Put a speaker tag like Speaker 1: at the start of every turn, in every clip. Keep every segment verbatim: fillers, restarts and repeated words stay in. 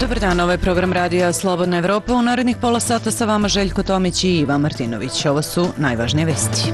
Speaker 1: Dobar dan, ovo je program Radija Slobodna Evropa. U narednih pola sata sa vama Željko Tomić i Ivan Martinović. Ovo su najvažnije vesti.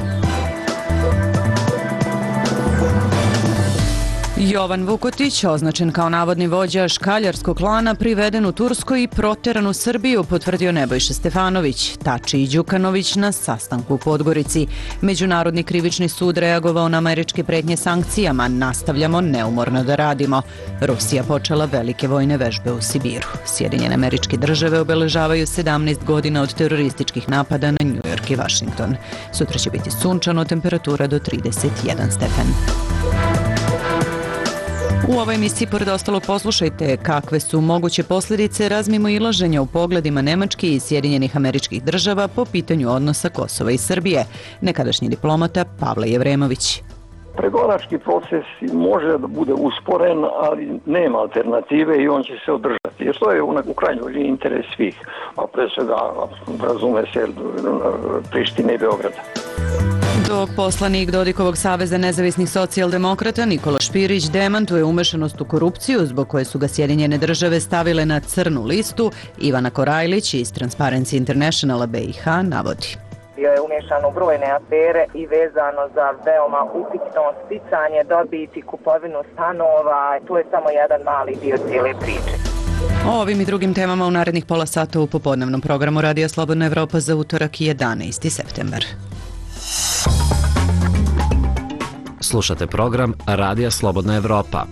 Speaker 1: Jovan Vukotić, označen kao navodni vođa škaljarskog klana, priveden u Turskoj i proteran u Srbiju, potvrdio Nebojša Stefanović. Tači i Đukanović na sastanku u Podgorici. Međunarodni krivični sud reagovao na američke pretnje sankcijama. Nastavljamo neumorno da radimo. Rusija počela velike vojne vežbe u Sibiru. Sjedinjene Američke Države obeležavaju sedamnaest godina od terorističkih napada na New York i Washington. Sutra će biti sunčano, temperatura do trideset jedan stepen. U ovoj emisiji, pored ostalog, poslušajte kakve su moguće posljedice razmimoilaženja u pogledima Nemačke i Sjedinjenih Američkih Država po pitanju odnosa Kosova i Srbije. Nekadašnji diplomata Pavle Jevremović.
Speaker 2: Pregovarački proces može da bude usporen, ali nema alternative i on će se održati. Jer to je u krajnjoj liniji interes svih, a pre svega razume se Prištine i Beograda.
Speaker 1: Dok poslanik Dodikovog saveza nezavisnih socijaldemokrata Nikola Špirić demantuje umešanost u korupciju zbog koje su ga Sjedinjene Države stavile na crnu listu, Ivana Korajlić iz Transparency Internationala B i H navodi.
Speaker 3: Bio je umješan u brojne afere i vezano za veoma upitno sticanje dobiti, kupovinu stanova. To je samo jedan mali dio cijele priče.
Speaker 1: O ovim i drugim temama u narednih pola sata u popodnevnom programu Radija Slobodna Evropa za utorak jedanaesti septembar.
Speaker 4: Slušate program Radija Slobodna Evropa.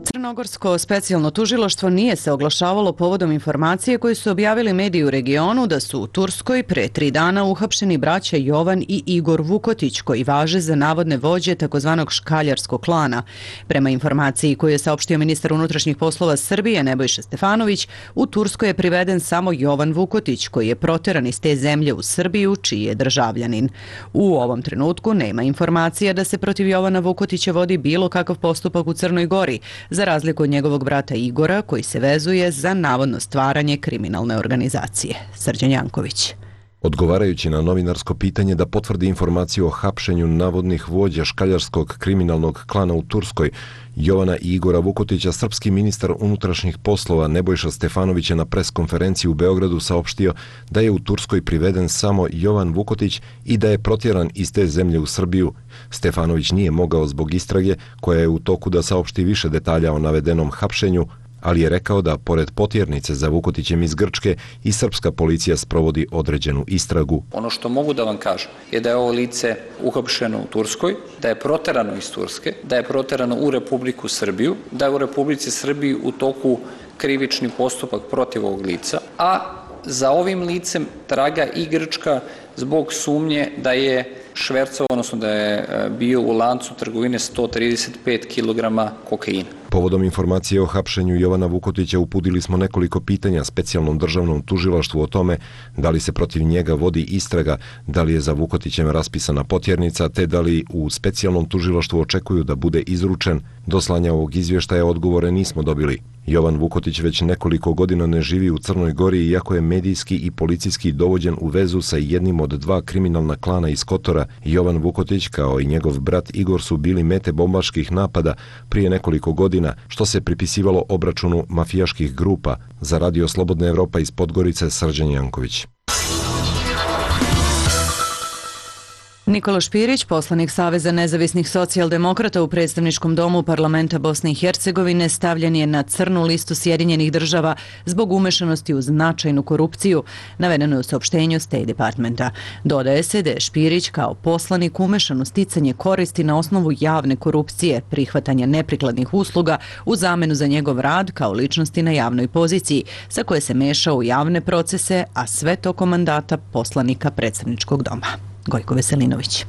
Speaker 1: Crnogorsko specijalno tužilaštvo nije se oglašavalo povodom informacije koje su objavili mediji u regionu da su u Turskoj pre tri dana uhapšeni braća Jovan i Igor Vukotić, koji važe za navodne vođe takozvanog škaljarskog klana. Prema informaciji koju je saopštio ministar unutrašnjih poslova Srbije Nebojša Stefanović, u Turskoj je priveden samo Jovan Vukotić, koji je proteran iz te zemlje u Srbiju, čiji je državljanin. U ovom trenutku nema informacija da se protiv Jovana Vukotića vodi bilo kakav postupak u Crnoj Gori, za razliku od njegovog brata Igora, koji se vezuje za navodno stvaranje kriminalne organizacije. Srđan Janković.
Speaker 5: Odgovarajući na novinarsko pitanje da potvrdi informaciju o hapšenju navodnih vođa škaljarskog kriminalnog klana u Turskoj, Jovana i Igora Vukotića, srpski ministar unutrašnjih poslova Nebojša Stefanović je na preskonferenciji u Beogradu saopštio da je u Turskoj priveden samo Jovan Vukotić i da je protjeran iz te zemlje u Srbiju. Stefanović nije mogao zbog istrage, koja je u toku, da saopšti više detalja o navedenom hapšenju, ali je rekao da, pored potjernice za Vukotićem iz Grčke, i srpska policija sprovodi određenu istragu.
Speaker 6: Ono što mogu da vam kažem je da je ovo lice uhapšeno u Turskoj, da je proterano iz Turske, da je proterano u Republiku Srbiju, da je u Republici Srbiji u toku krivični postupak protiv ovog lica, a za ovim licem traga i Grčka zbog sumnje da je švercao, odnosno da je bio u lancu trgovine sto trideset pet kilograma kokaina.
Speaker 5: Povodom informacije o hapšenju Jovana Vukotića uputili smo nekoliko pitanja specijalnom državnom tužilaštvu o tome da li se protiv njega vodi istraga, da li je za Vukotićem raspisana potjernica, te da li u specijalnom tužilaštvu očekuju da bude izručen. Do slanja ovog izvještaja odgovore nismo dobili. Jovan Vukotić već nekoliko godina ne živi u Crnoj Gori, iako je medijski i policijski dovođen u vezu sa jednim od dva kriminalna klana iz Kotora. Jovan Vukotić, kao i njegov brat Igor, su bili mete bombaških napada prije nekoliko godina, što se pripisivalo obračunu mafijaških grupa. Za Radio Slobodna Evropa iz Podgorice, Srđan Janković.
Speaker 1: Nikola Špirić, poslanik Saveza nezavisnih socijaldemokrata u predstavničkom domu parlamenta Bosne i Hercegovine, stavljen je na crnu listu Sjedinjenih Država zbog umešanosti u značajnu korupciju, navedeno je u saopštenju State Departmenta. Dodaje se da je Špirić kao poslanik umešan u sticanje koristi na osnovu javne korupcije, prihvatanja neprikladnih usluga u zamenu za njegov rad kao ličnosti na javnoj poziciji, sa koje se mešao u javne procese, a sve tokom mandata poslanika predstavničkog doma. Gojko Veselinović.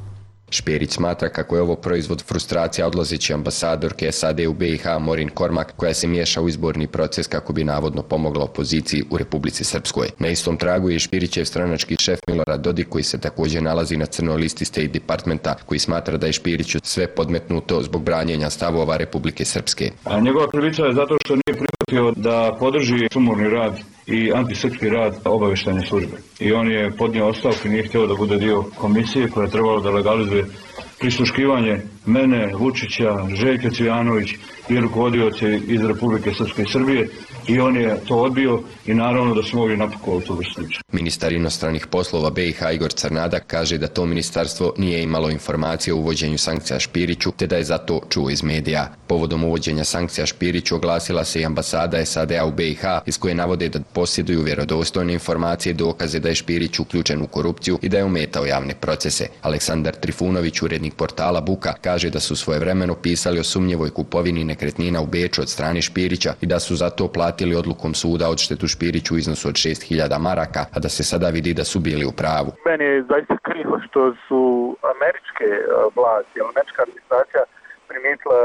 Speaker 7: Špirić smatra kako je ovo proizvod frustracija odlazeće ambasadorke S A D u B i H Morin Kormak, koja se miješa u izborni proces kako bi navodno pomogla opoziciji u Republici Srpskoj. Na istom tragu je Špirićev stranački šef Milorad Dodik, koji se također nalazi na crnoj listi State Departmenta, koji smatra da je Špiriću sve podmetnuto zbog branjenja stavova Republike Srpske.
Speaker 8: A njegova krivica je zato što nije prihvatio da podrži sumorni rad i antisrpski rad obavještajne službe. I on je podnio ostavku i nije htio da bude dio komisije koja je trebalo da legalizuje prisluškivanje mene, Vučića, Željka Cvijanović i rukovodioce iz Republike Srpske i Srbije i on je to odbio i naravno da smo ovdje napakovali tu vrstu.
Speaker 7: Ministar inostranih poslova B i H Igor Crnadak kaže da to ministarstvo nije imalo informacije o uvođenju sankcija Špiriću te da je zato čuo iz medija. Povodom uvođenja sankcija Špiriću oglasila se i ambasada S A D-a u B i H iz koje navode da posjeduju vjerodostojne informacije i dokaze da je Špirić uključen u korupciju i da je ometao javne procese. Aleksandar Trifunović, urednik portala Buka, kaže da su svojevremeno pisali o sumnjivoj kupovini nekretnina u Beču od strane Špirića i da su zato platili odlukom suda odštetu Špiriću u iznosu od šest hiljada maraka, a da se sada vidi da su bili u pravu.
Speaker 9: Meni je zaista krivo što su američke vlasti, američka administracija primijetila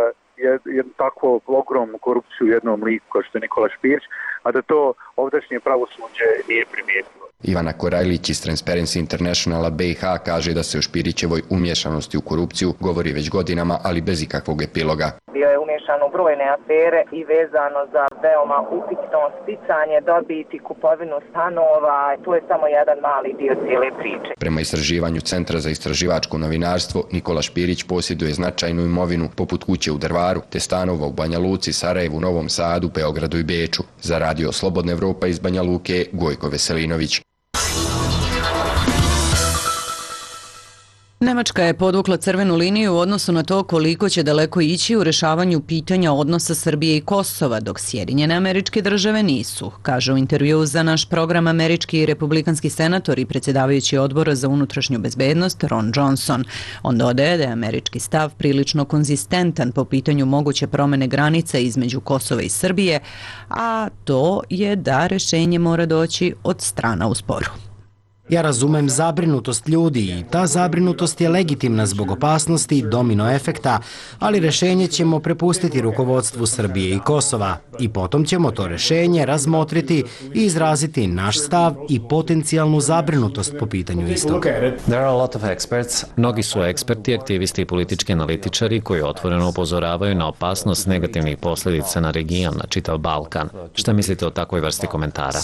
Speaker 9: jednu takvu ogromnu korupciju u jednom liku kao što je Nikola Špirić, a da to ovdašnje pravosuđe nije primijetilo.
Speaker 7: Ivana Korajlić iz Transparency Internationala B i H kaže da se o Špirićevoj umješanosti u korupciju govori već godinama, ali bez ikakvog epiloga.
Speaker 3: Bio je umješan u brojne afere i vezano za veoma upitno sticanje dobiti, kupovinu stanova. To je samo jedan mali dio cijele priče.
Speaker 7: Prema istraživanju Centra za istraživačko novinarstvo, Nikola Špirić posjeduje značajnu imovinu poput kuće u Drvaru, te stanova u Banja Luci, Sarajevu, Novom Sadu, Beogradu i Beču. Za radio Slobodna Evropa iz Banja Luke, Gojko Veselinović.
Speaker 1: Nemačka je podvukla crvenu liniju u odnosu na to koliko će daleko ići u rešavanju pitanja odnosa Srbije i Kosova, dok Sjedinjene Američke Države nisu, kaže u intervju za naš program američki i republikanski senator i predsjedavajući odbora za unutrašnju bezbednost Ron Johnson. On dodaje da je američki stav prilično konzistentan po pitanju moguće promjene granica između Kosova i Srbije, a to je da rešenje mora doći od strana u sporu.
Speaker 10: Ja razumem zabrinutost ljudi i ta zabrinutost je legitimna zbog opasnosti domino efekta, ali rešenje ćemo prepustiti rukovodstvu Srbije i Kosova i potom ćemo to rešenje razmotriti i izraziti naš stav i potencijalnu zabrinutost po pitanju istog.
Speaker 4: Mnogi su eksperti, aktivisti i politički analitičari koji otvoreno upozoravaju na opasnost negativnih posljedica na region, na čitav Balkan. Šta mislite o takvoj vrsti komentara?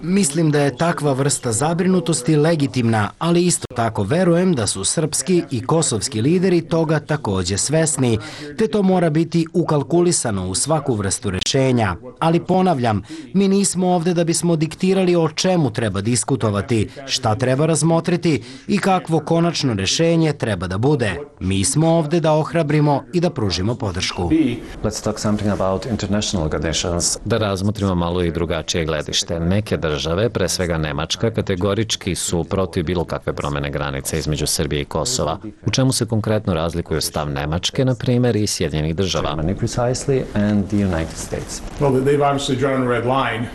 Speaker 10: Mislim da je takva vrsta zabrinutosti legitimna, ali isto tako verujem da su srpski i kosovski lideri toga također svesni, te to mora biti ukalkulisano u svaku vrstu rešenja. Ali ponavljam, mi nismo ovdje da bismo diktirali o čemu treba diskutovati, šta treba razmotriti i kakvo konačno rešenje treba da bude. Mi smo ovdje da ohrabrimo i da pružimo podršku.
Speaker 4: Da razmotrimo malo i drugačije gledište. Neke države, pre svega Nemačka, kategorički su protiv bilo kakve promjene granice između Srbije i Kosova. U čemu se konkretno razlikuju stav Nemačke, na primjer, i Sjedinjenih Država?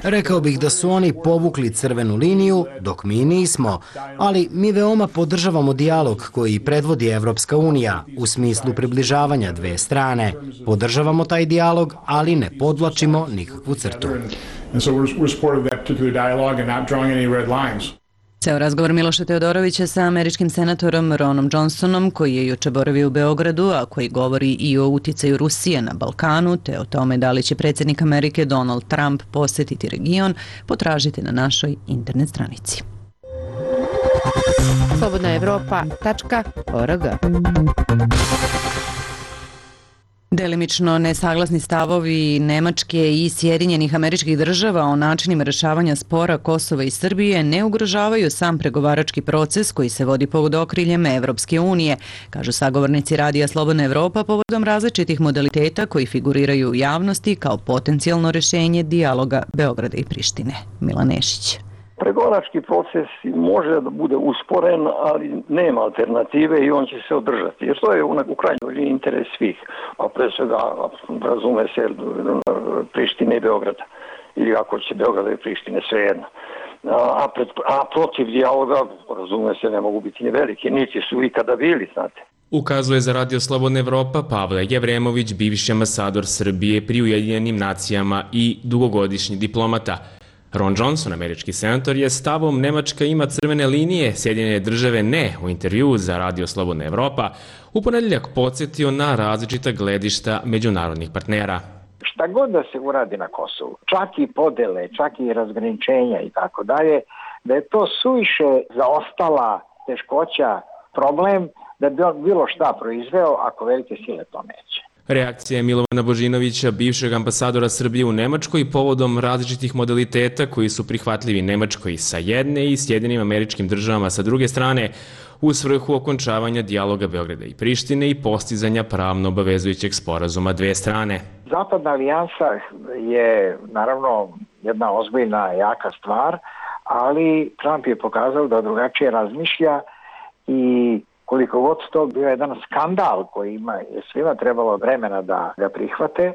Speaker 10: Rekao bih da su oni povukli crvenu liniju, dok mi nismo, ali mi veoma podržavamo dijalog koji predvodi Evropska unija u smislu približavanja dve strane. Podržavamo taj dijalog, ali ne podvlačimo nikakvu crtu.
Speaker 1: Ceo razgovor Miloša Teodorovića sa američkim senatorom Ronom Johnsonom, koji je juče boravio u Beogradu, a koji govori i o uticaju Rusije na Balkanu, te o tome da li će predsjednik Amerike Donald Trump posjetiti region, potražite na našoj internet stranici.
Speaker 11: slobodna evropa tačka org.
Speaker 1: Delimično nesaglasni stavovi Nemačke i Sjedinjenih Američkih Država o načinima rešavanja spora Kosova i Srbije ne ugrožavaju sam pregovarački proces koji se vodi pod okriljem Evropske unije, kažu sagovornici Radija Slobodna Evropa povodom različitih modaliteta koji figuriraju u javnosti kao potencijalno rešenje dijaloga Beograda i Prištine. Milan Nešić.
Speaker 2: Pregovarački proces može da bude usporen, ali nema alternative i on će se održati. Jer to je u krajnjoj liniji interes svih, a pre svega razume se Prištine i Beograda. Ili ako će Beograda i Prištine, svejedno. A, pred, a protiv dijaloga, razume se, ne mogu biti ni veliki, niti su ikada bili, znate.
Speaker 12: Ukazuje za Radio Slobodna Evropa Pavle Jevremović, bivši ambasador Srbije pri Ujedinjenim nacijama i dugogodišnji diplomata. Ron Johnson, američki senator, je stavom Nemačka ima crvene linije, Sjedinjene Države ne, u intervju za Radio Slobodna Evropa u ponedjeljak podsjetio na različita gledišta međunarodnih partnera.
Speaker 13: Šta god da se uradi na Kosovu, čak i podele, čak i razgraničenja i tako dalje, da je to suviše zaostala teškoća, problem, da bi on bilo šta proizveo ako velike sile to neće.
Speaker 12: Reakcija je Milovana Božinovića, bivšeg ambasadora Srbije u Nemačkoj, povodom različitih modaliteta koji su prihvatljivi Nemačkoj sa jedne i Sjedinim Američkim Državama sa druge strane, u svrhu okončavanja dijaloga Beograda i Prištine i postizanja pravno obavezujućeg sporazuma dve strane.
Speaker 13: Zapadna alijansa je naravno jedna ozbiljna, jaka stvar, ali Trump je pokazao da drugačije razmišlja i koliko god to bio jedan skandal koji ima, je svima trebalo vremena da ga prihvate,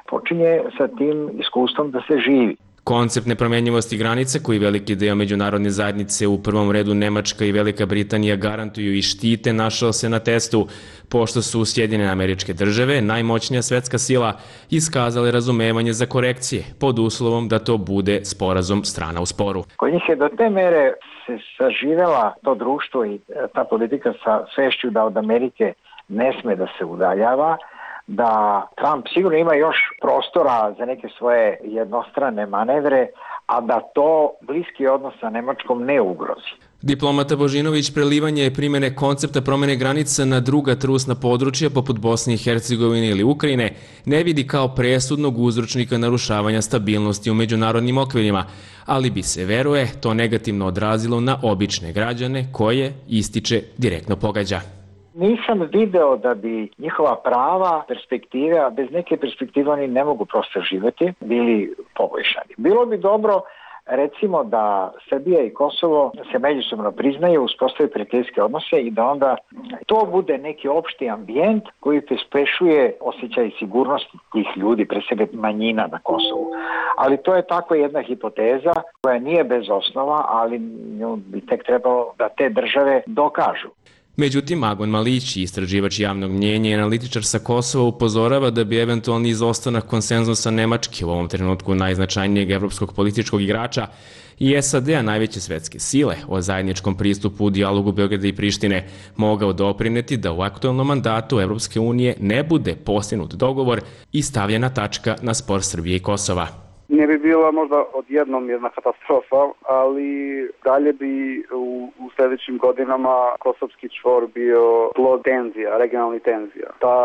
Speaker 13: počinje sa tim iskustvom da se živi.
Speaker 12: Koncept nepromenjivosti granice koji veliki deo međunarodne zajednice, u prvom redu Nemačka i Velika Britanija, garantuju i štite, našao se na testu, pošto su Sjedinjene Američke Države, najmoćnija svetska sila, iskazale razumevanje za korekcije, pod uslovom da to bude sporazum strana u sporu.
Speaker 13: Kod njih je do te mere se saživela to društvo i ta politika sa svešću da od Amerike ne sme da se udaljava, da Trump sigurno ima još prostora za neke svoje jednostrane manevre, a da to bliski odnos sa Nemačkom ne ugrozi.
Speaker 12: Diplomata Božinović prelivanje primjene koncepta promene granica na druga trusna područja poput Bosne i Hercegovine ili Ukrajine ne vidi kao presudnog uzročnika narušavanja stabilnosti u međunarodnim okvirima, ali bi se, veruje, to negativno odrazilo na obične građane koje, ističe, direktno pogađa.
Speaker 13: Nisam video da bi njihova prava, perspektive, a bez neke perspektive oni ne mogu prosto živjeti, bili poboljšani. Bilo bi dobro, recimo, da Srbija i Kosovo se međusobno priznaju, uspostavi prijateljske odnose i da onda to bude neki opšti ambijent koji pospešuje osjećaj sigurnosti tih ljudi, pre svega manjina na Kosovu. Ali to je tako jedna hipoteza koja nije bez osnova, ali nju bi tek trebalo da te države dokažu.
Speaker 12: Međutim, Agon Malić, istraživač javnog mnjenja i analitičar sa Kosova, upozorava da bi eventualni izostanak konsenzusa Nemačke, u ovom trenutku najznačajnijeg evropskog političkog igrača, i S A D-a, najveće svetske sile, o zajedničkom pristupu u dijalogu Beograda i Prištine mogao doprineti da u aktualnom mandatu Evropske unije ne bude postignut dogovor i stavljena tačka na spor Srbije i Kosova.
Speaker 14: Ne bi bila možda odjednom jedna katastrofa, ali dalje bi u, u sljedećim godinama kosovski čvor bio plod tenzija, regionalnih tenzija. Ta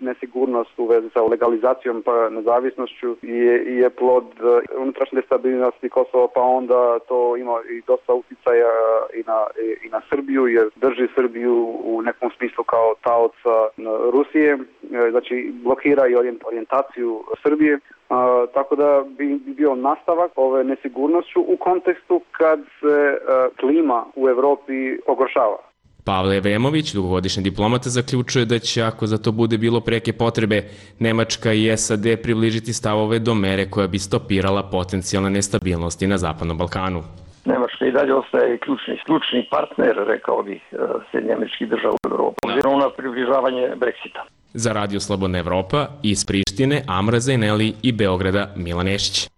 Speaker 14: nesigurnost u vezi sa legalizacijom pa nezavisnošću je, je plod unutrašnje stabilnosti Kosova, pa onda to ima i dosta utjecaja i na, i na Srbiju, jer drži Srbiju u nekom smislu kao taoca Rusije, znači blokira i orijentaciju Srbije. Uh, tako da bi bio nastavak ove nesigurnošću u kontekstu kad se uh, klima u Evropi pogoršava.
Speaker 12: Pavle Evremović, dugogodišnji diplomata, zaključuje da će, ako za to bude bilo preke potrebe, Nemačka i S A D približiti stavove do mere koja bi stopirala potencijalne nestabilnosti na Zapadnom Balkanu.
Speaker 2: Nemačka i dalje ostaje ključni, ključni partner, rekao bih, Sjedinjenih Američkih Država u Evropi, obzirom na približavanje Brexita.
Speaker 12: Za Radio Slobodna Evropa iz Prištine, Amra Zajneli i Beograda, Milan Nešić.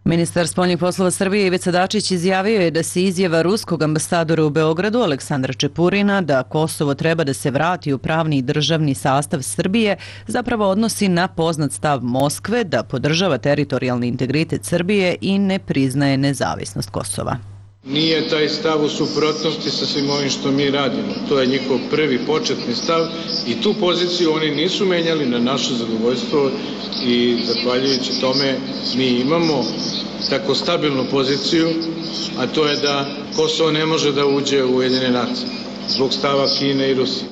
Speaker 1: Ministar spoljnih poslova Srbije Ivica Dačić izjavio je da se izjava ruskog ambasadora u Beogradu Aleksandra Čepurina da Kosovo treba da se vrati u pravni i državni sastav Srbije zapravo odnosi na poznat stav Moskve da podržava teritorijalni integritet Srbije i ne priznaje nezavisnost Kosova.
Speaker 15: Nije taj stav u suprotnosti sa svim ovim što mi radimo. To je njihov prvi početni stav i tu poziciju oni nisu menjali na naše zadovoljstvo i zahvaljujući tome mi imamo tako stabilnu poziciju, a to je da Kosovo ne može da uđe u Ujedinjene nacije zbog stava Kine i Rusije.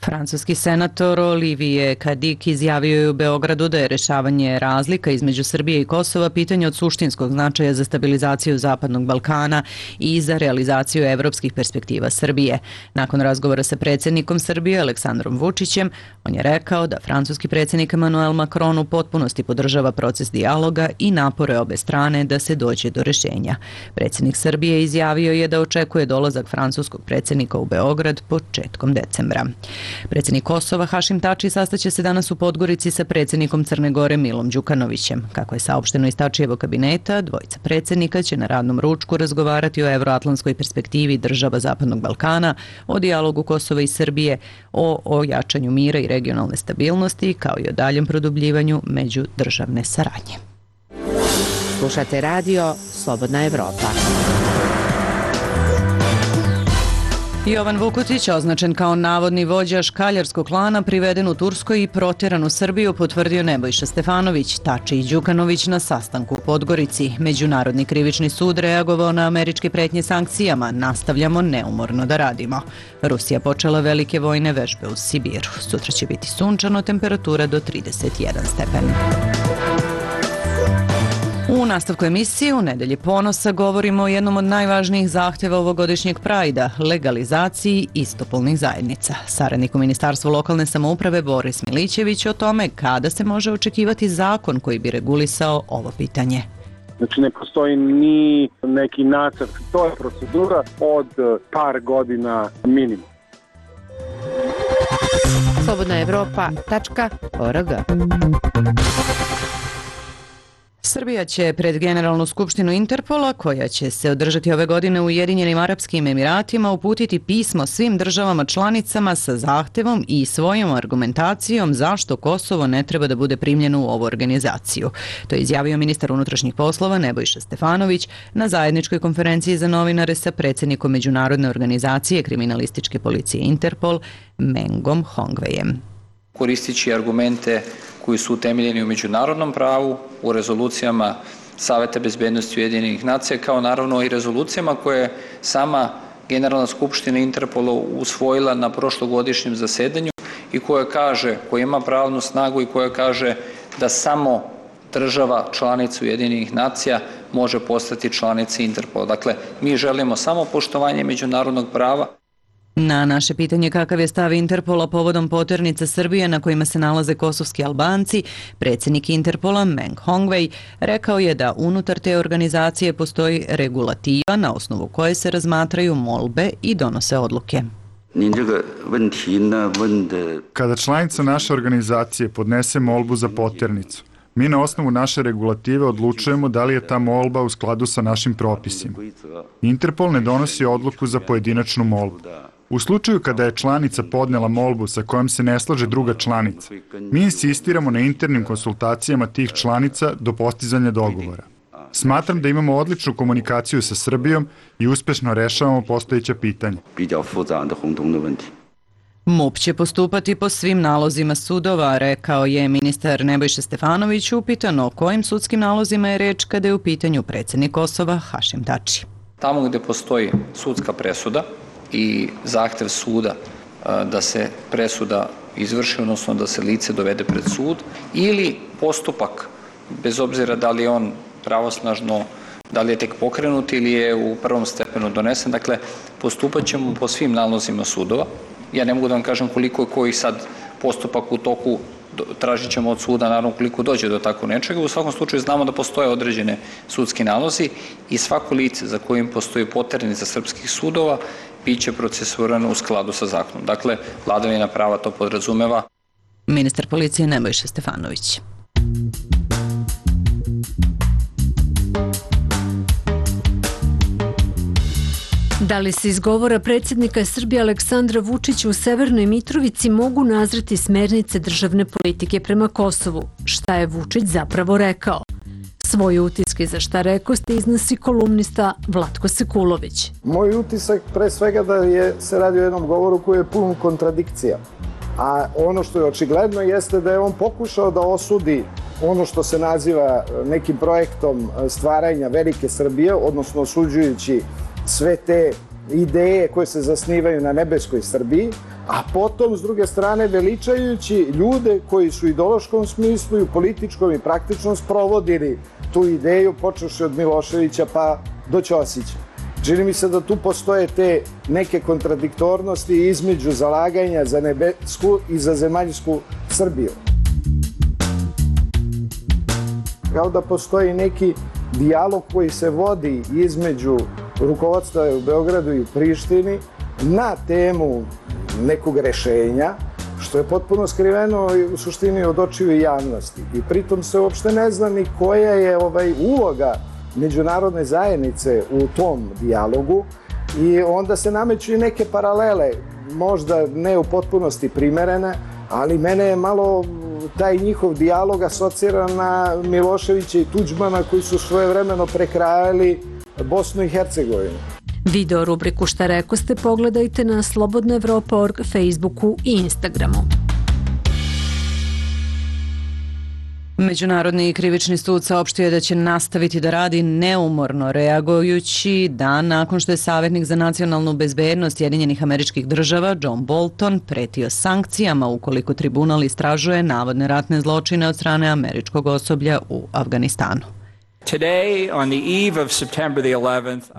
Speaker 1: Francuski senator Olivier Cadic izjavio je u Beogradu da je rešavanje razlika između Srbije i Kosova pitanje od suštinskog značaja za stabilizaciju Zapadnog Balkana i za realizaciju evropskih perspektiva Srbije. Nakon razgovora sa predsjednikom Srbije Aleksandrom Vučićem, on je rekao da francuski predsjednik Emmanuel Macron u potpunosti podržava proces dijaloga i napore obe strane da se dođe do rešenja. Predsjednik Srbije izjavio je da očekuje dolazak francuskog predsjednika u Beograd početkom decembra. Predsjednik Kosova Hašim Tači sastaće se danas u Podgorici sa predsjednikom Crne Gore Milom Đukanovićem. Kako je saopšteno iz Tačijevog kabineta, dvojica predsjednika će na radnom ručku razgovarati o evroatlantskoj perspektivi država Zapadnog Balkana, o dijalogu Kosova i Srbije, o ojačanju mira i regionalne stabilnosti, kao i o daljem produbljivanju međudržavne saradnje.
Speaker 11: Slušate radio Slobodna Evropa.
Speaker 1: Jovan Vukotić, označen kao navodni vođa škaljarskog klana, priveden u Turskoj i protjeran u Srbiju, potvrdio Nebojša Stefanović, Tači i Đukanović na sastanku u Podgorici. Međunarodni krivični sud reagovao na američke pretnje sankcijama. Nastavljamo neumorno da radimo. Rusija počela velike vojne vežbe u Sibiru. Sutra će biti sunčano, temperatura do trideset jedan stepen. U nastavku emisije u Nedelji ponosa govorimo o jednom od najvažnijih zahtjeva ovogodišnjeg Prajda, legalizaciji istopolnih zajednica. Saradnik u Ministarstvu lokalne samouprave Boris Milićević o tome kada se može očekivati zakon koji bi regulisao ovo pitanje.
Speaker 16: Znači ne postoji ni neki nacrt, to je procedura od par godina minimum.
Speaker 11: slobodna evropa tačka org.
Speaker 1: Srbija će pred Generalnu skupštinu Interpola, koja će se održati ove godine u Ujedinjenim Arapskim Emiratima, uputiti pismo svim državama članicama sa zahtevom i svojom argumentacijom zašto Kosovo ne treba da bude primljeno u ovu organizaciju. To je izjavio ministar unutrašnjih poslova Nebojša Stefanović na zajedničkoj konferenciji za novinare sa predsjednikom Međunarodne organizacije kriminalističke policije Interpol, Mengom Hongvejem.
Speaker 6: Koristići argumente koji su utemeljeni u međunarodnom pravu, u rezolucijama Saveta bezbednosti Ujedinjenih nacija, kao naravno i rezolucijama koje je sama Generalna skupština Interpola usvojila na prošlogodišnjem zasedanju i koja kaže, koja ima pravnu snagu i koja kaže da samo država članica Ujedinjenih nacija može postati članica Interpola. Dakle, mi želimo samo poštovanje međunarodnog prava.
Speaker 1: Na naše pitanje kakav je stav Interpola povodom poternica Srbije na kojima se nalaze kosovski Albanci, predsjednik Interpola Meng Hongvej rekao je da unutar te organizacije postoji regulativa na osnovu koje se razmatraju molbe i donose odluke.
Speaker 17: Kada članica naše organizacije podnese molbu za poternicu, mi na osnovu naše regulative odlučujemo da li je ta molba u skladu sa našim propisima. Interpol ne donosi odluku za pojedinačnu molbu. U slučaju kada je članica podnela molbu sa kojom se ne slaže druga članica, mi insistiramo na internim konsultacijama tih članica do postizanja dogovora. Smatram da imamo odličnu komunikaciju sa Srbijom i uspešno rešavamo postojeća pitanja.
Speaker 1: MUP će postupati po svim nalozima sudova, rekao je ministar Nebojša Stefanović, upitan o kojim sudskim nalozima je reč kada je u pitanju predsjednik Kosova Hašim Tači.
Speaker 6: Tamo gde postoji sudska presuda i zahtev suda da se presuda izvrši, odnosno da se lice dovede pred sud, ili postupak, bez obzira da li je on pravosnažno, da li je tek pokrenut ili je u prvom stepenu donesen, dakle, postupat ćemo po svim nalozima sudova. Ja ne mogu da vam kažem koliko je koji sad postupak u toku, tražit ćemo od suda, naravno koliko dođe do tako nečega. U svakom slučaju znamo da postoje određene sudski nalozi i svako lice za kojim postoji poternica srpskih sudova biće procesuirano u skladu sa zakonom. Dakle, vladavina prava to podrazumeva.
Speaker 1: Ministar policije Nebojša Stefanović.
Speaker 18: Da li se iz govora predsjednika Srbije Aleksandra Vučića u Severnoj Mitrovici mogu nazreti smernice državne politike prema Kosovu? Šta je Vučić zapravo rekao? Svoje utiske za šta rekoste iznosi kolumnista Vlatko Sekulović.
Speaker 19: Moj utisak pre svega da je, se radi o jednom govoru koji je pun kontradikcija. A ono što je očigledno jeste da je on pokušao da osudi ono što se naziva nekim projektom stvaranja velike Srbije, odnosno osuđujući sve te ideje koje se zasnivaju na nebeskoj Srbiji, a potom, s druge strane, veličajući ljude koji su u ideološkom smislu i u političkom i praktičnom sprovodili tu ideju, počevši od Miloševića pa do Ćosića. Čini mi se da tu postoje te neke kontradiktornosti između zalaganja za nebesku i za zemaljsku Srbiju. Kao da postoji neki dijalog koji se vodi između rukovodstva u Beogradu i u Prištini na temu nekog rešenja, što je potpuno skriveno u suštini od očiju javnosti. I pritom se uopšte ne zna ni koja je ovaj uloga međunarodne zajednice u tom dijalogu i onda se nameću i neke paralele, možda ne u potpunosti primerene, ali mene je malo taj njihov dijalog asocira na Miloševića i Tuđmana koji su svojevremeno prekrajali Bosnu i Hercegovinu.
Speaker 18: Video rubriku Šta rekoste pogledajte na slobodna evropa tačka org, Facebooku i Instagramu.
Speaker 1: Međunarodni krivični sud saopštio je da će nastaviti da radi neumorno, reagujući dan nakon što je savjetnik za nacionalnu bezbednost Sjedinjenih Američkih Država John Bolton pretio sankcijama ukoliko tribunal istražuje navodne ratne zločine od strane američkog osoblja u Afganistanu.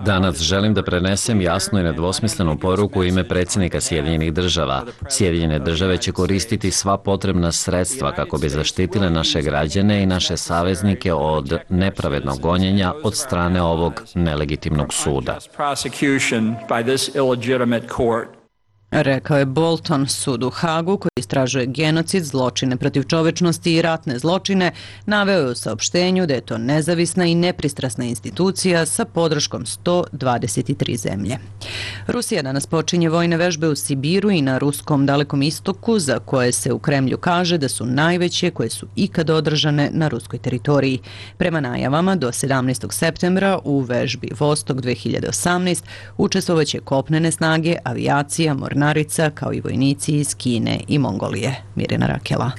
Speaker 4: Danas želim da prenesem jasnu i nedvosmislenu poruku u ime predsjednika Sjedinjenih Država. Sjedinjene Države će koristiti sva potrebna sredstva kako bi zaštitile naše građane i naše saveznike od nepravednog gonjenja od strane ovog nelegitimnog suda.
Speaker 1: Rekao je Bolton. Sud u Hagu, koji istražuje genocid, zločine protiv čovečnosti i ratne zločine, naveo je u saopštenju da je to nezavisna i nepristrasna institucija sa podrškom sto dvadeset tri zemlje. Rusija danas počinje vojne vežbe u Sibiru i na ruskom Dalekom istoku, za koje se u Kremlju kaže da su najveće koje su ikad održane na ruskoj teritoriji. Prema najavama, do sedamnaestog septembra u vežbi Vostok dve hiljade osamnaest učestvovaće kopnene snage, avijacija, mornarica, kao i vojnici iz Kine i Mongolije. Mirjana Rakela.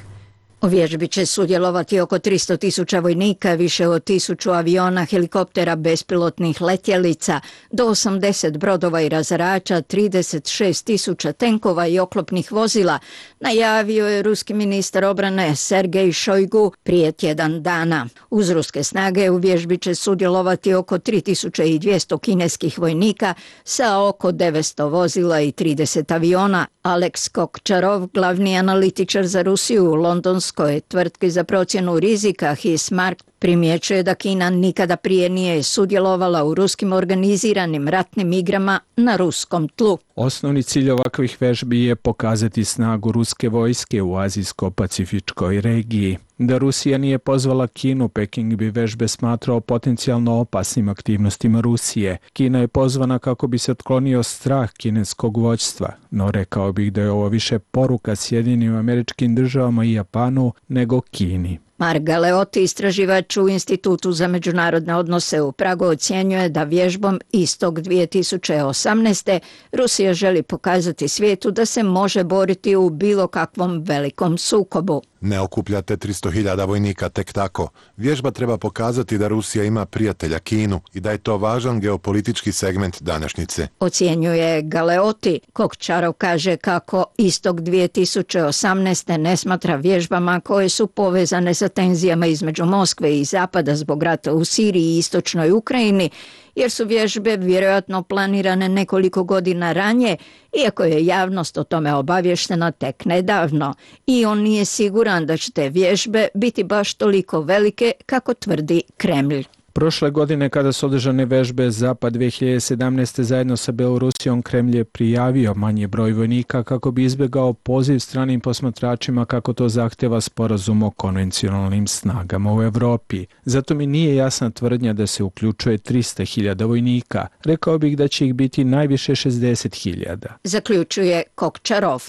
Speaker 20: U vježbi će sudjelovati oko tristo tisuća vojnika, više od tisuću aviona, helikoptera, bespilotnih letjelica, do osamdeset brodova i razarača, trideset šest tisuća tenkova i oklopnih vozila, najavio je ruski ministar obrane Sergej Šojgu prije tjedan dana. Uz ruske snage u vježbi će sudjelovati oko tri tisuće dvjesto kineskih vojnika sa oko devetsto vozila i trideset aviona. Aleks Kokčarov, glavni analitičar za Rusiju u londonskoj tvrtki za procjenu rizika Hismark, primjećuje da Kina nikada prije nije sudjelovala u ruskim organiziranim ratnim igrama na ruskom tlu.
Speaker 21: Osnovni cilj ovakvih vežbi je pokazati snagu ruske vojske u azijsko-pacifičkoj regiji. Da Rusija nije pozvala Kinu, Peking bi vežbe smatrao potencijalno opasnim aktivnostima Rusije. Kina je pozvana kako bi se otklonio strah kineskog vođstva, no rekao bih da je ovo više poruka Sjedinjenim Američkim Državama i Japanu nego Kini.
Speaker 20: Mark Galeotti, istraživač u Institutu za međunarodne odnose u Pragu, ocjenjuje da vježbom Istok dvije tisuće osamnaeste. Rusija želi pokazati svijetu da se može boriti u bilo kakvom velikom sukobu.
Speaker 22: Ne okupljate tristo hiljada vojnika tek tako. Vježba treba pokazati da Rusija ima prijatelja Kinu i da je to važan geopolitički segment današnjice.
Speaker 20: Ocjenjuje Galeotti. Kokčarov kaže kako Istok dvije tisuće osamnaeste ne smatra vježbama koje su povezane sa tenzijama između Moskve i Zapada zbog rata u Siriji i istočnoj Ukrajini, jer su vježbe vjerojatno planirane nekoliko godina ranije, iako je javnost o tome obavještena tek nedavno. I on nije siguran da će te vježbe biti baš toliko velike kako tvrdi Kremlj.
Speaker 21: Prošle godine kada su održane vežbe Zapad dve hiljade sedamnaeste. zajedno sa Belorusijom, Kremlj je prijavio manji broj vojnika kako bi izbjegao poziv stranim posmatračima kako to zahtjeva sporazum o konvencionalnim snagama u Evropi. Zato mi nije jasna tvrdnja da se uključuje tristo hiljada vojnika. Rekao bih da će ih biti najviše šezdeset hiljada.
Speaker 20: Zaključuje Kokčarov.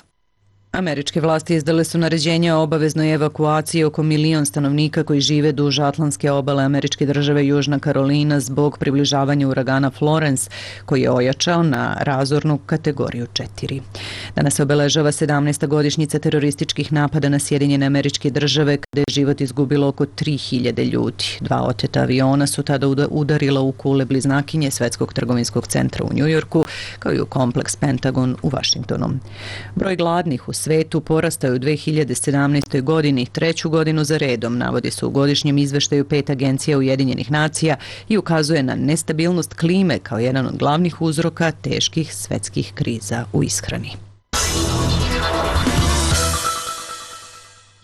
Speaker 1: Američke vlasti izdale su naređenje o obaveznoj evakuaciji oko milion stanovnika koji žive duž atlantske obale američke države Južna Karolina zbog približavanja uragana Florence, koji je ojačao na razornu kategoriju četiri. Danas se obeležava sedamnaesta godišnjica terorističkih napada na Sjedinjene Američke Države, kada je život izgubilo oko tri hiljade ljudi. Dva oteta aviona su tada udarila u kule bliznakinje Svetskog trgovinskog centra u Njujorku, kao i u kompleks Pentagon u Vašingtonu. Broj gladnih u svetu porastao je u dve hiljade sedamnaestoj. godini, treću godinu za redom, navodi se u godišnjem izveštaju pet agencija Ujedinjenih nacija i ukazuje na nestabilnost klime kao jedan od glavnih uzroka teških svetskih kriza u ishrani.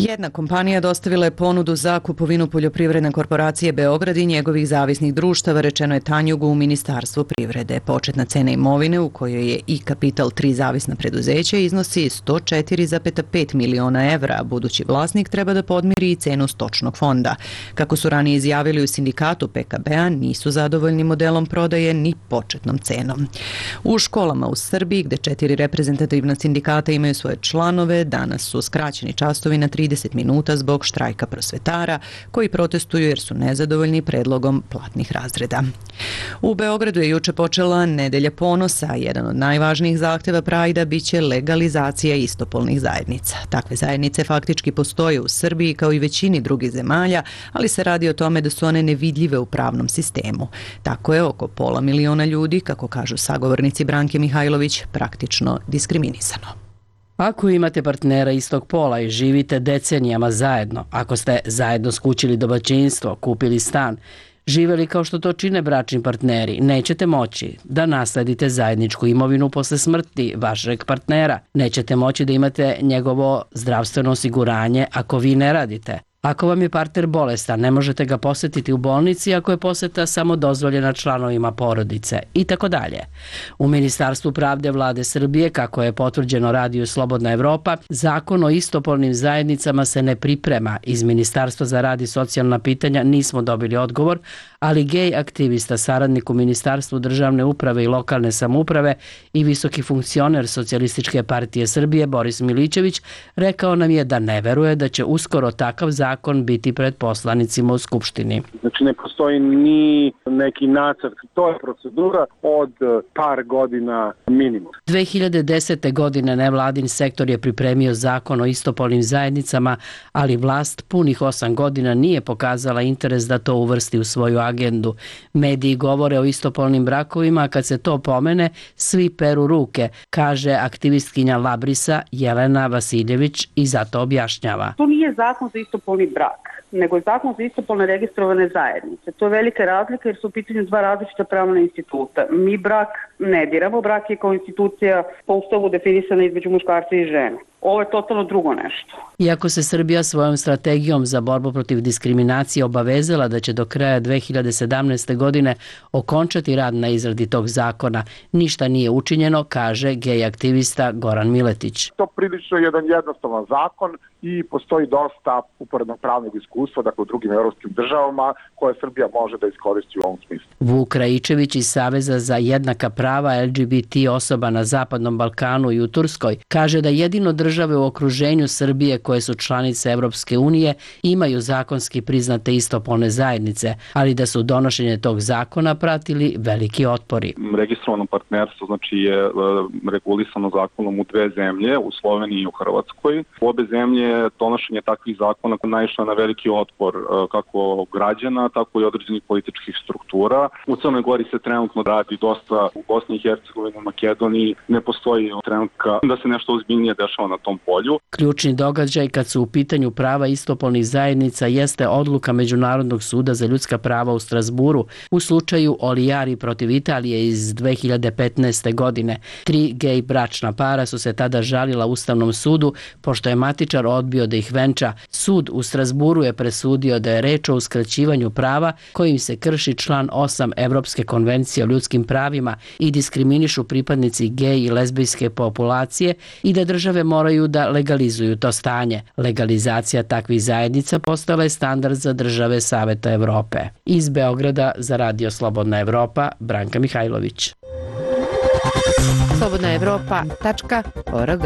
Speaker 1: Jedna kompanija dostavila je ponudu za kupovinu poljoprivredne korporacije Beograd i njegovih zavisnih društava, rečeno je Tanjugu u Ministarstvu privrede. Početna cena imovine, u kojoj je i kapital tri zavisna preduzeća, iznosi sto četiri zarez pet miliona evra, a budući vlasnik treba da podmiri i cenu stočnog fonda. Kako su ranije izjavili u sindikatu P K B-a, nisu zadovoljni modelom prodaje ni početnom cenom. U školama u Srbiji, gde četiri reprezentativna sindikata imaju svoje članove, danas su skraćeni časovi na tri trideset minuta zbog štrajka prosvetara koji protestuju jer su nezadovoljni predlogom platnih razreda. U Beogradu je juče počela Nedelja ponosa. Jedan od najvažnijih zahteva Prajda biće legalizacija istopolnih zajednica. Takve zajednice faktički postoje u Srbiji kao i većini drugih zemalja, ali se radi o tome da su one nevidljive u pravnom sistemu. Tako je oko pola miliona ljudi, kako kažu sagovornici Branke Mihajlović, praktično diskriminisano.
Speaker 5: Ako imate partnera istog pola i živite decenijama zajedno, ako ste zajedno skućili domaćinstvo, kupili stan, živeli kao što to čine bračni partneri, nećete moći da nasledite zajedničku imovinu posle smrti vašeg partnera. Nećete moći da imate njegovo zdravstveno osiguranje ako vi ne radite. Ako vam je partner bolestan, ne možete ga posetiti u bolnici ako je poseta samo dozvoljena članovima porodice i tako dalje. U Ministarstvu pravde Vlade Srbije, kako je potvrđeno radiju Slobodna Evropa, zakon o istopolnim zajednicama se ne priprema. Iz Ministarstva za rad i socijalna pitanja nismo dobili odgovor, ali gej aktivista, saradnik u Ministarstvu državne uprave i lokalne samouprave i visoki funkcioner Socijalističke partije Srbije Boris Milićević rekao nam je da ne veruje da će uskoro takav zakon biti pred poslanicima u Skupštini.
Speaker 16: Znači ne postoji ni neki nacrt, to je procedura od par godina minimum.
Speaker 5: dve hiljade desete. godine nevladin sektor je pripremio zakon o istopolnim zajednicama, ali vlast punih osam godina nije pokazala interes da to uvrsti u svoju agendu. Mediji govore o istopolnim brakovima, a kad se to pomene, svi peru ruke, kaže aktivistkinja Labrisa Jelena Vasiljević i zato objašnjava.
Speaker 8: To nije zakon za istopolni brak, nego je zakon za istopolne registrovane zajednice. To je velika razlika jer su u pitanju dva različita pravna instituta. Mi brak ne diramo, brak je kao institucija po ustavu definisana između muškarca i žene. Ovo je totalno drugo nešto.
Speaker 5: Iako se Srbija svojom strategijom za borbu protiv diskriminacije obavezala da će do kraja dve hiljade sedamnaeste. godine okončati rad na izradi tog zakona, ništa nije učinjeno, kaže gej aktivista Goran Miletić.
Speaker 9: To prilično je jedan jednostavan zakon i postoji dosta uporednog pravnog iskustva, dakle u drugim evropskim državama, koje Srbija može da iskoristi u ovom smislu.
Speaker 5: Vuk Raičević iz Saveza za jednaka prava L G B T osoba na Zapadnom Balkanu i u Turskoj kaže da jedino države u okruženju Srbije koje su članice Evropske unije imaju zakonski priznate istopolne zajednice, ali da su donošenje tog zakona pratili veliki otpori.
Speaker 23: Registrovano partnerstvo znači je regulisano zakonom u dve zemlje, u Sloveniji i u Hrvatskoj. U obe zemlje donošenje takvih zakona naišlo na veliki otpor kako građana, tako i određenih političkih struktura. U Crnoj Gori se trenutno radi dosta, u Bosni i Hercegovini, u Makedoniji ne postoji trenutka da se nešto ozbiljnije dešava na tom polju.
Speaker 5: Ključni događaj kad su u pitanju prava istopolnih zajednica jeste odluka Međunarodnog suda za ljudska prava u Strasburu u slučaju Olijari protiv Italije iz dve hiljade petnaeste. godine. Tri gej bračna para su se tada žalila Ustavnom sudu pošto je matičar odbio da ih venča. Sud u Strasburu je presudio da je reč o uskraćivanju prava kojim se krši član osam Evropske konvencije o ljudskim pravima i diskriminišu pripadnici gej i lezbijske populacije i da države moraju da legalizuju to stanje. Legalizacija takvih zajednica postala je standard za države Saveta Evrope. Iz Beograda za Radio Slobodna Evropa, Branka Mihajlović.
Speaker 11: slobodna evropa tačka org.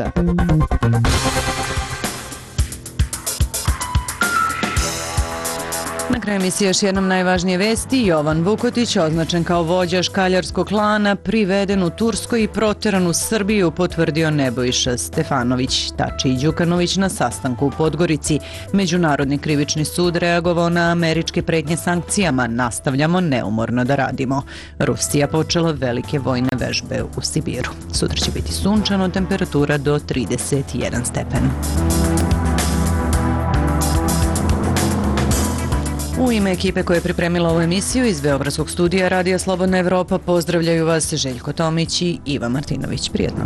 Speaker 1: Na kraju emisije još jednom najvažnije vesti. Jovan Vukotić, označen kao vođa škaljarskog klana, priveden u Turskoj i proteran u Srbiju, potvrdio Nebojša Stefanović. Tači i Đukanović na sastanku u Podgorici. Međunarodni krivični sud reagovao na američke pretnje sankcijama. Nastavljamo neumorno da radimo. Rusija počela velike vojne vežbe u Sibiru. Sutra će biti sunčano, temperatura do trideset jedan stepen. U ime ekipe koja je pripremila ovu emisiju iz Beogradskog studija Radija Slobodna Evropa pozdravljaju vas Željko Tomić i Iva Martinović. Prijetno.